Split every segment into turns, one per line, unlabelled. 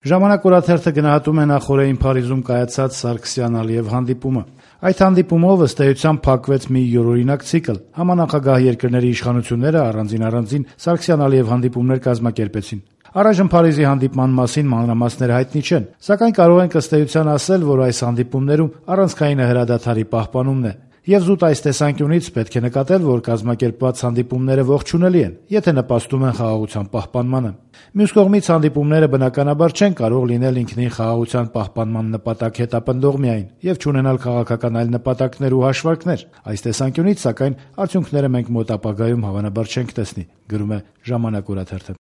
Ժամանակ օրաթերթը գնահատում է նախօրեին Փարիզում կայացած Սարգսյան-Ալիև հանդիպումը։ Այդ հանդիպումով ըստ էության փակվեց մի յուրօրինակ ցիկլ։ Համանախագահ երկրների իշխանությունները առանձին Սարգսյան-Ալիև հանդիպումներ կազմակերպեցին։ Առայժմ Փարիզի հանդիպման մասին մանրամասները հայտնի չեն, սակայն կարող ենք ըստ էության ասել, որ այս հանդիպումներում առանցքայինը հրադադարի պահպանումն է։ Եվ զուտ այս տեսանկյունից պետք է նկատել, որ կազմակերպված հանդիպումները ողջունելի են, եթե նպաստում են խաղաղության պահպանմանը։ Մյուս կողմից հանդիպումները բնականաբար չեն կարող լինել ինքնին խաղաղության պահպանման նպատակ հետապնդող միայն եւ չունենալ քաղաքական այլ նպատակներ ու հաշվարկներ։ Այս տեսանկյունից, սակայն, արդյունքները մենք մոտ ապագայում հավանաբար չենք տեսնի, գրում է Ժամանակ օրաթերթը։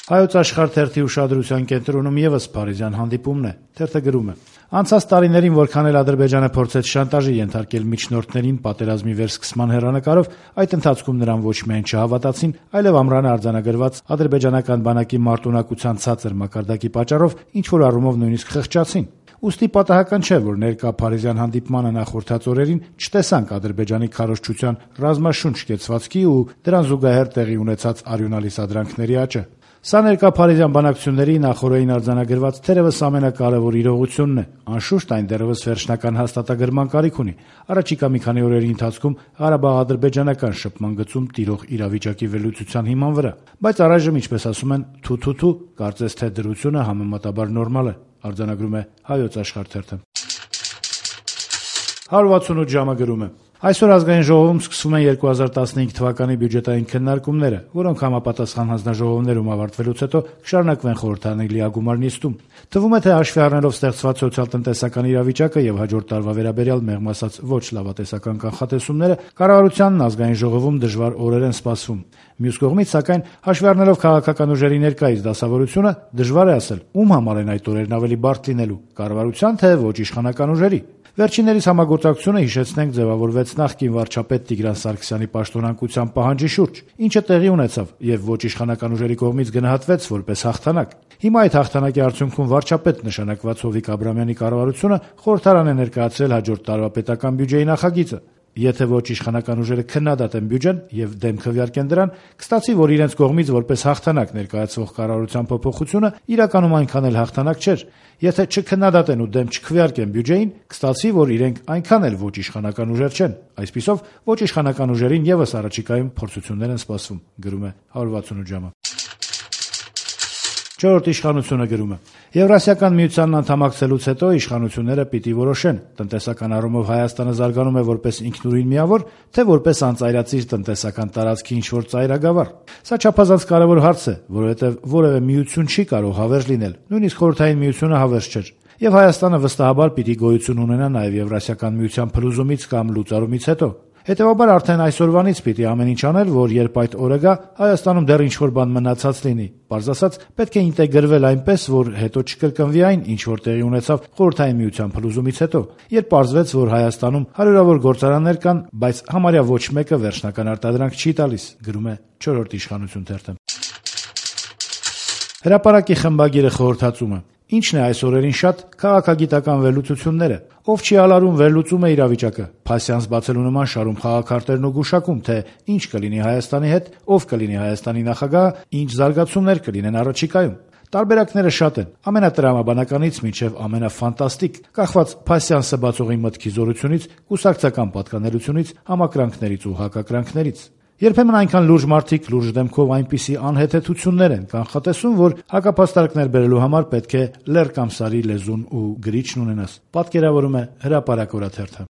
Հայոց Աշխարհ թերթի ուշադրության կենտրոնում եւս փարիզյան հանդիպումն է։ Թերթը գրում է. Անցած տարիներին որքան էլ Ադրբեջանը փորձեց շանտաժի ենթարկել միջնորդներին պատերազմի վերսկսման հեռանկարով, այդ ընթացքում նրան ոչ միայն չհավատացին, այլև ամռանը արձանագրված ադրբեջանական բանակի մարտունակության ցածր մակարդակի պատճառով ինչ-որ առումով նույնիսկ խղճացին։ Ուստի պատահական չէ, որ ներկա փարիզյան հանդիպմանը նախորդած օրերին չտեսանք Ադրբեջանի քարոզչության ռազմաշունչ կեցվածքի ու դրան զուգահեռ տեղի ունեցած արյունալի սադրանքների աճը։ Սա ներկա փարիզյան բանակցությունների նախօրեին արձանագրված թերևս ամենակարևոր իրողությունն է։ Անշուշտ այն դեռևս վերջնական հաստատագրման կարիք ունի։ Առաջիկա մի քանի օրերի ընթացքում Ղարաբաղ-ադրբեջանական շփման գծում տիրող իրավիճակի վերլուծության հիման վրա։ Բայց առայժմ, ինչպես ասում են, թու, կարծես թե դրությունը համեմատաբար նորմալ է, արձանագրում է Հայոց Աշխարհ թերթը։ 168 ժամը գրում է. Այսօր ազգային ժողովում սկսվում են 2015 թվականի բյուջետային քննարկումները, որոնք համապատասխան հանձնաժողովներում ավարտվելուց հետո կշարունակվեն խորհրդարանի լիագումար նիստում։ Թվում է, թե հաշվի առնելով ստեղծված սոցիալ-տնտեսական իրավիճակը եւ հաջորդ տարվա վերաբերյալ մեղմ ասած ոչ լավատեսական կանխատեսումները, կառավարությանն ազգային ժողովում դժվար օրեր են սպասվում։ Մյուս կողմից, սակայն, հաշվի առնելով քաղաքական ուժերի ներկայիս դասավորությունը, դժվար է ասել, ում համար են այդ օրերն ավելի բարդ լինելու՝ կառավարության, թե ոչ իշխանական ուժերի։ Վերջիններիս համագործակցությունը, հիշեցնենք, ձևավորվեց նախկին վարչապետ Տիգրան Սարգսյանի պաշտոնանկության պահանջի շուրջ, ինչը տեղի ունեցավ եւ ոչ իշխանական ուժերի կողմից գնահատվեց որպես հաղթանակ։ Հիմա այդ հաղթանակի արդյունքում վարչապետ նշանակված Հովիկ Աբրամյանի կառավարությունը խորհրդարան է ներկայացրել հաջորդ տարվա պետական բյուջեի նախագիծը։ Եթե ոչ իշխանական ուժերը քննադատեն բյուջեն եւ դեմ քվեարկեն դրան, կստացի, որ իրենց կողմից որպես հաղթանակ ներկայացվող կառավարության փոփոխությունը իրականում այնքան էլ հաղթանակ չէր։ Եթե չքննադատեն ու դեմ չքվեարկեն բյուջեին, կստացի, որ իրենք այնքան էլ ոչ իշխանական ուժեր չեն։ Այսպիսով, ոչ իշխանական ուժերին եւս առաջիկայում փորձություններ են սպասվում, գրում է 168 ժամը։ Չորրորդ իշխանությունը գրում է. Եվրասիական միությանն անդամակցելուց հետո իշխանությունները պիտի որոշեն, տնտեսական առումով Հայաստանը զարգանում է որպես ինքնուրույն միավոր, թե որպես անծայրածիր տնտեսական տարածքի ինչ-որ ծայրագավառ։ Սա չափազանց կարևոր հարց է, որովհետև որևէ միություն չի կարող հավերժ լինել, նույնիսկ Խորհրդային միությունը հավերժ չէր։ Եվ Հայաստանը վստահաբար պիտի գոյություն ունենա նաև Եվրասիական միության փլուզումից կամ լուծարումից հետո։ Հետևաբար արդեն այսօրվանից պիտի ամեն ինչ անել, որ երբ այդ օրը գա, Հայաստանում դեռ ինչ-որ բան մնացած լինի։ Պարզ ասած, պետք է ինտեգրվել այնպես, որ հետո չկրկնվի այն, ինչ որ տեղի ունեցավ Խորհրդային միության փլուզումից հետո, երբ պարզվեց, որ Հայաստանում հարյուրավոր գործարաններ կան, բայց համարյա ոչ մեկը վերջնական արտադրանք չի տալիս, գրում է 4-րդ իշխանություն թերթը։ Հրապարակի խմբագիրը խորհրդածում է. Ինչն է այս օրերին շատ քաղաքագիտական վերլուծությունները։ Ով չի ալարում վերլուծում է իրավիճակը, փասյանս բացելու նման շարում խաղաքարտերն ու գուշակում, թե ինչ կլինի Հայաստանի հետ, ով կլինի Հայաստանի նախագահը, ինչ զարգացումներ կլինեն առաջիկայում։ Տարբերակները շատ են, ամենատրամաբանականից մինչև ամենաֆանտաստիկ, կախված փասյանսը բացողի մտքի զորությունից, կուսակցական պատկանելությունից, համակրանքներից ու հակակրանքներից։ Երբեմն այնքան լուրջ մարդիկ լուրջ դեմքով այնպիսի անհեթեթություններ են կանխատեսում, որ հակապաստարկներ բերելու համար պետք է լեռ կամ սարի լեզուն ու գրիչն ունենաս, պատկերավորում է Հրապարակ օրաթերթը։